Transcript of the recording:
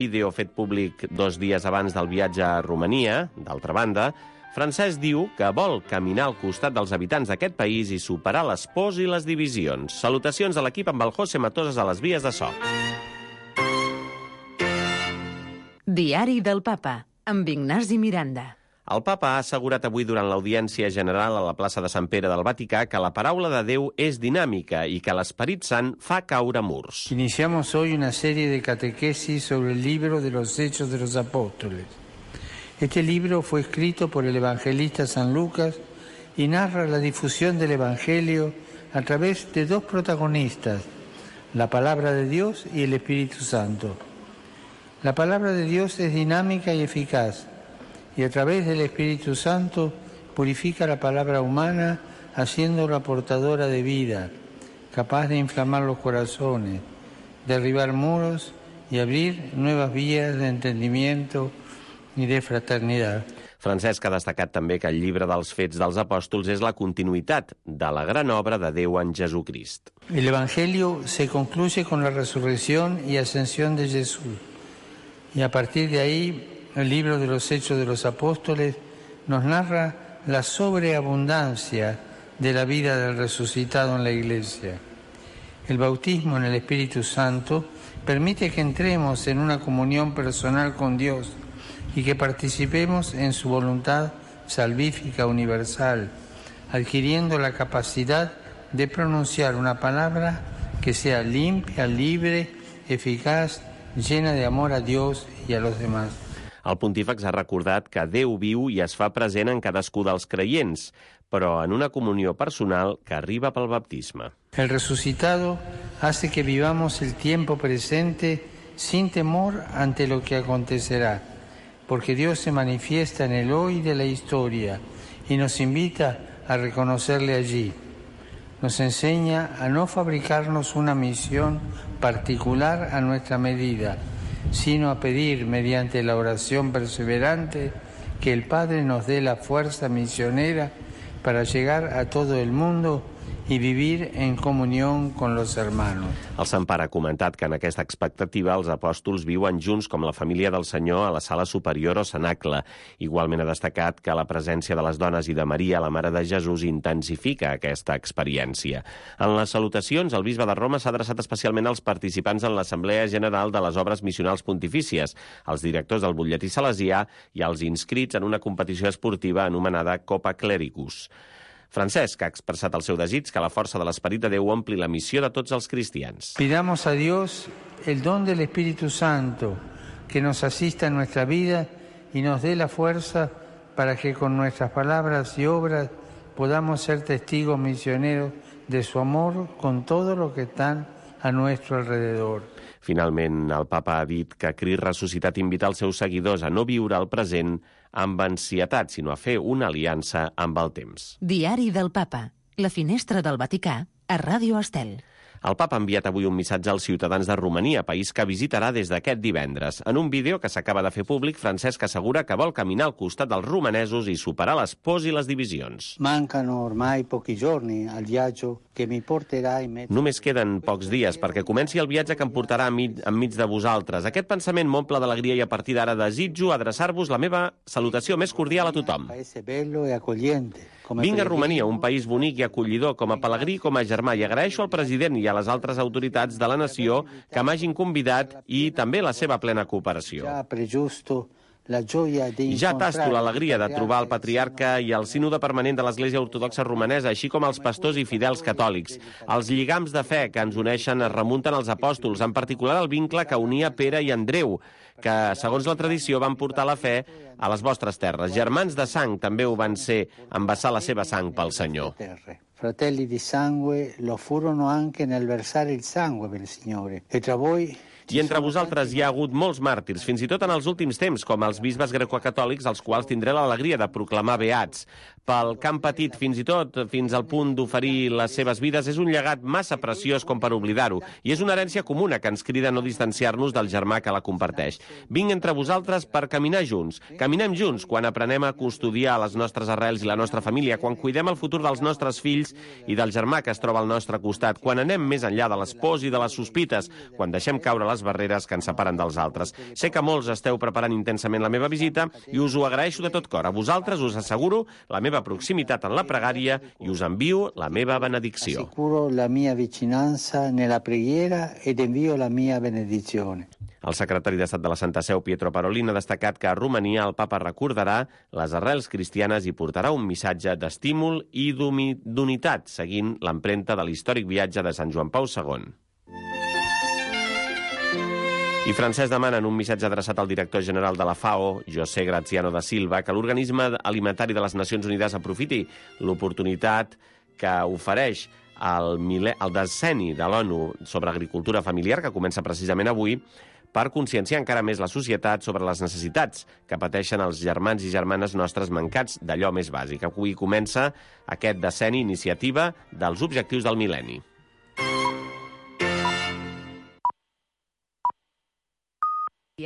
vídeo fet públic 2 dies abans del viatge a Romania. D'altra banda, Francesc diu que vol caminar al costat dels habitants d'aquest país i superar les pors i les divisions. Salutacions a l'equip amb el José Matosas a les vies de so. Diari del Papa, amb Ignasi Miranda. El papa ha assegurat avui durant l'audiència general a la plaça de Sant Pere del Vaticà que la paraula de Déu és dinàmica i que l'Esperit Sant fa caure murs. Iniciamos hoy una serie de catequesis sobre el libro de los Hechos de los Apóstoles. Este libro fue escrito por el evangelista San Lucas y narra la difusión del Evangelio a través de 2 protagonistas, la palabra de Dios y el Espíritu Santo. La palabra de Dios es dinámica y eficaz, y a través del Espíritu Santo purifica la palabra humana, haciéndola portadora de vida, capaz de inflamar los corazones, derribar muros y abrir nuevas vías de entendimiento y de fraternidad. Francesc ha destacat també que el llibre dels Fets dels Apòstols és la continuïtat de la gran obra de Déu en Jesucrist. El Evangelio se concluye con la resurrección y ascensión de Jesús, y a partir de ahí el libro de los Hechos de los Apóstoles nos narra la sobreabundancia de la vida del resucitado en la Iglesia. El bautismo en el Espíritu Santo permite que entremos en una comunión personal con Dios y que participemos en su voluntad salvífica universal, adquiriendo la capacidad de pronunciar una palabra que sea limpia, libre, eficaz, llena de amor a Dios y a los demás. El pontífex ha recordat que Déu viu i es fa present en cadascú dels creients, però en una comunió personal que arriba pel baptisme. El resucitado hace que vivamos el tiempo presente sin temor ante lo que acontecerá, porque Dios se manifiesta en el hoy de la historia y nos invita a reconocerle allí. Nos enseña a no fabricarnos una misión particular a nuestra medida, sino a pedir mediante la oración perseverante que el Padre nos dé la fuerza misionera para llegar a todo el mundo i vivir en comunió con los hermanos. El Sant Pare ha comentat que en aquesta expectativa els apòstols viuen junts com la família del Senyor a la sala superior o cenacle. Igualment ha destacat que la presència de les dones i de Maria, la Mare de Jesús, intensifica aquesta experiència. En les salutacions, el bisbe de Roma s'ha adreçat especialment als participants en l'Assemblea General de les Obres Missionals Pontifícies, als directors del butlletí salesià i als inscrits en una competició esportiva anomenada Copa Clericus. Francesc ha expressat el seu desig que la força de l'Esperit de Déu ompli la missió de tots els cristians. Pidamos a Dios el don del Espíritu Santo, que nos asista en nuestra vida y nos dé la fuerza para que con nuestras palabras y obras podamos ser testigos misioneros de su amor con todo lo que están a nuestro alrededor. Finalment, el papa ha dit que Crist ressuscitat invita els seus seguidors a no viure el present amb ansietat, sinó a fer una aliança amb el temps. Diari del Papa, la finestra del Vaticà, a Ràdio Estel. El papa ha enviat avui un missatge als ciutadans de Romania, país que visitarà des d'aquest divendres. En un vídeo que s'acaba de fer públic, Francesc assegura que vol caminar al costat dels romanesos i superar les pors i les divisions. Mancano ormai pochi giorni al viaggio que mi porterà in mezzo. Només queden pocs dies perquè comenci el viatge que em portarà enmig de vosaltres. Aquest pensament m'omple d'alegria i a partir d'ara desitjo adreçar-vos la meva salutació més cordial a tothom. Paese bello e accogliente. Vinc a Romania, un país bonic i acollidor, com a pelegrí i com a germà, i agraeixo al president i a les altres autoritats de la nació que m'hagin convidat i també la seva plena cooperació. Ja tasto l'alegria de trobar el patriarca i el sínode permanent de l'Església Ortodoxa Romanesa, així com els pastors i fidels catòlics. Els lligams de fe que ens uneixen es remunten als apòstols, en particular el vincle que unia Pere i Andreu, que, segons la tradició, van portar la fe a les vostres terres. Germans de sang també ho van ser, en vessar la seva sang pel Senyor. Fratelli di sangue lo furono anche nel versare il sangue per il Signore. E tra voi I entre vosaltres hi ha hagut molts màrtirs, fins i tot en els últims temps, com els bisbes grecocatòlics, als quals tindré l'alegria de proclamar beats. Pel que han patit fins i tot fins al punt d'oferir les seves vides és un llegat massa preciós com per oblidar-ho, i és una herència comuna que ens crida a no distanciar-nos del germà que la comparteix. Vinc entre vosaltres per caminar junts. Caminem junts quan aprenem a custodiar les nostres arrels i la nostra família, quan cuidem el futur dels nostres fills i del germà que es troba al nostre costat, quan anem més enllà de les pors i de les sospites, quan deixem caure les les barreres que ens separen dels altres. Sé que molts esteu preparant intensament la meva visita i us ho agraeixo de tot cor. A vosaltres us asseguro la meva proximitat en la pregària i us envio la meva benedicció. Assicuro la mia vicinanza nella preghiera ed invio la mia benedizione. El secretari d'Estat de la Santa Seu, Pietro Parolin, ha destacat que a Romania el papa recordarà les arrels cristianes i portarà un missatge d'estímul i d'unitat, seguint l'empremta de l'històric viatge de Sant Joan Pau II. I Francesc demana en un missatge adreçat al director general de la FAO, José Graziano da Silva, que l'Organisme Alimentari de les Nacions Unides aprofiti l'oportunitat que ofereix el decenni de l'ONU sobre agricultura familiar, que comença precisament avui, per conscienciar encara més la societat sobre les necessitats que pateixen els germans i germanes nostres mancats d'allò més bàsic. Avui comença aquest decenni iniciativa dels objectius del mil·lenni.